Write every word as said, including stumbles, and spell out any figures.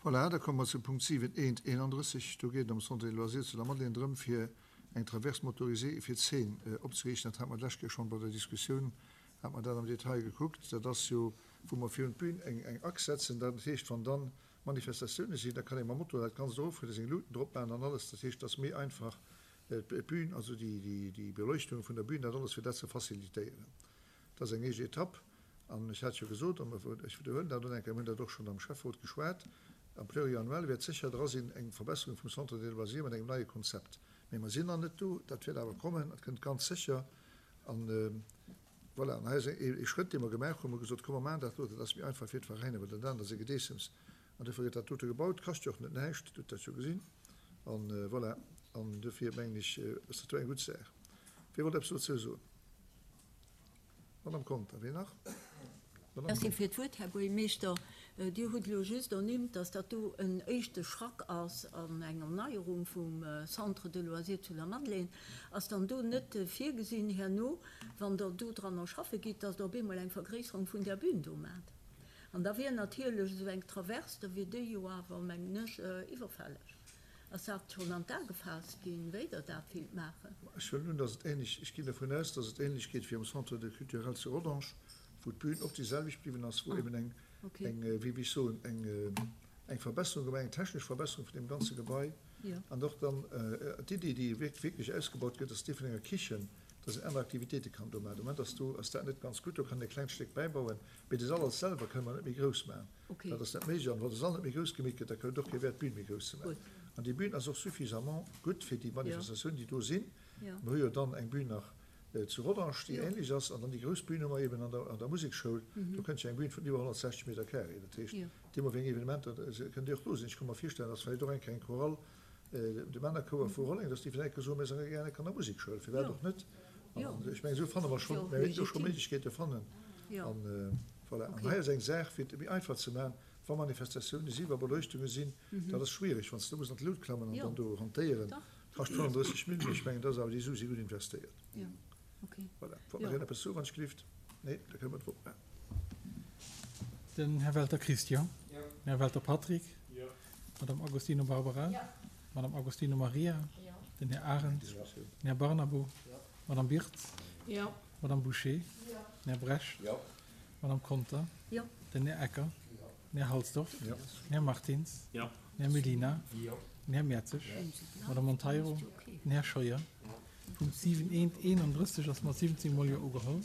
Voilà, da komme mer zum Punkt siwen eent eenandrësseg. Do geet et ëm Centre des loisirs zu Lamadelaine drëm, fir eng Traverse motorisée fir d'Zeen opzeriichten. Dat hate mer d'lescht Kéier schonn bei der Diskussioun, hate mer dat am Detail gekuckt. Dat ass jo, wou mer virun d'Bün eng, eng Achs setzen. Dat heescht, wann dann Manifestatioune sinn, da kann ee mam Moto dat Ganzt eroffueren, seng Luuten drop maachen an alles. Dat heescht, et ass méi einfach, d'Bün, also déi, déi, déi Beleuchtung vun der Bün, dat alles, fir dat ze facilitéieren. Dat ass eng éischt Etapp. An ech hat jo gesot, an ech widderhuelen dat och eng Kéier, mir hunn dat och schonn am Schäfferot geschwat, am Pluriannuel wäert sécher dra sinn eng Verbesserung vum Centre des loisirs mat engem neie Konzept. Mee mer sinn nach net do, dat wäert awer kommen, dat kënnt ganz sécher. An voilà, an hei ass ee Schrëtt, dee mer gemaach hunn, mer hu gesot, komm mer maachen dat elo, dat ass méi einfach fir d'Veräiner, well dat anert ass e Gedeessems. An dofir gëtt dat dote gebaut, kascht jo och net näischt, Dir hutt dat jo gesinn. An voilà, an dofir mengen ech, ass dat do eng gutt Saach. Wie wollt eppes dozou soen? Madame Conter, wien nach? Madame Merci fir d'Wuert, Här Buergermeeschter. Dir hutt elo just ernimmt, dass dat do en éischte Schrack ass an eng Erneierung vum Centre de loisirs zu Lamadelaine. Ass dann do net virgesinn herno, wann Der do dranner schaffe gitt, dass Der op eemol eng Vergréisserung vun där Bühn do maacht? An da wier natierlech esou eng Traverse, da wier déi jo awer, mengen ech, iwwerfälleg. Ass dat schonn an d'A gefaasst ginn, wéi Der dat willt maachen? Ech huelen un, dass et ähnlech, ech ginn dervun aus, dass et ähnlech geet wéi am Centre de culturel zu Rodange, wou d'Bün och déi selwecht bliwwen ass, wou eben eng, eng, wéi wéi ech soen, eng, eng Verbesserung gemaach, eng technesch Verbesserung vun deem ganze Gebai. An och dann d'Iddi, déi wierklech ausgebaut gëtt, ass déi vun enger Kichen, dass een aner Aktivitéite kann do maachen. De Moment ass do, ass dat net ganz gutt, do kann een e klengt Stéck bäibauen, mee de Sall als selwer kënne mer net méi grouss maachen. Dat ass net méiglech. An wa de Sall net méi grouss gemeet gëtt, da huet et och kee Wäert, d'Bün méi grouss ze maachen. An déi Bün ass och suffisamment gutt fir déi Manifestatiounen, déi do sinn. Mer hu jo dann eng Bün nach zu Rodange, déi ähnlech ass. An dann déi grouss Bün hu mer eben an der, an der Musekschoul. Do kënnt jo eng Bün vun iwwer honnertsechzeg Meter carré. Dat heescht, deemno wéi eng Evenementer kënnt déi och do sinn. Ech ka mer virstellen, dass vläicht och eng kleng Chorale, de Männerchouer vu Rolleng, dass déi vläicht soen, mir sinn gär an der Musekschoul, firwat och net? An ech mengen, esou fanne mer schonn, mir wäerten do scho Méiglechkeete fannen. An voilà. An hei ass eng Saach, fir et méi einfach ze maachen, wa Manifestatioune sinn, wa Beleuchtunge sinn, dat ass schwierig, wann s de do muss an d'Lut klammen an dann do hantéieren, kascht fënnenddrësseg Mille, mee ech mengen, dat ass awer, déi Su si gutt investéiert. Voilà. Wollt nach een eppes soen, wann ech gelift? Nee, da kënne mer d'Vott maachen. Den Här Welter Christian. Den Här Welter Patrick. D'Madame Agostino Barbara. D'Madame Agostino Maria. Den Här Arendt. Den Här Barnabo. D'Madame Birtz. D'Madame Bouché. Den Här Brecht. D'Madame Conter. Den Här Ecker. Den Här Halsdorf. Den Här Martins. Den Här Mellina. Den Här Mertzig. D'Madame Monteiro. Den Här Scheuer. Punkt siwen eent eenandrësseg ass mat siwwenzéng Mol Jo ugeholl.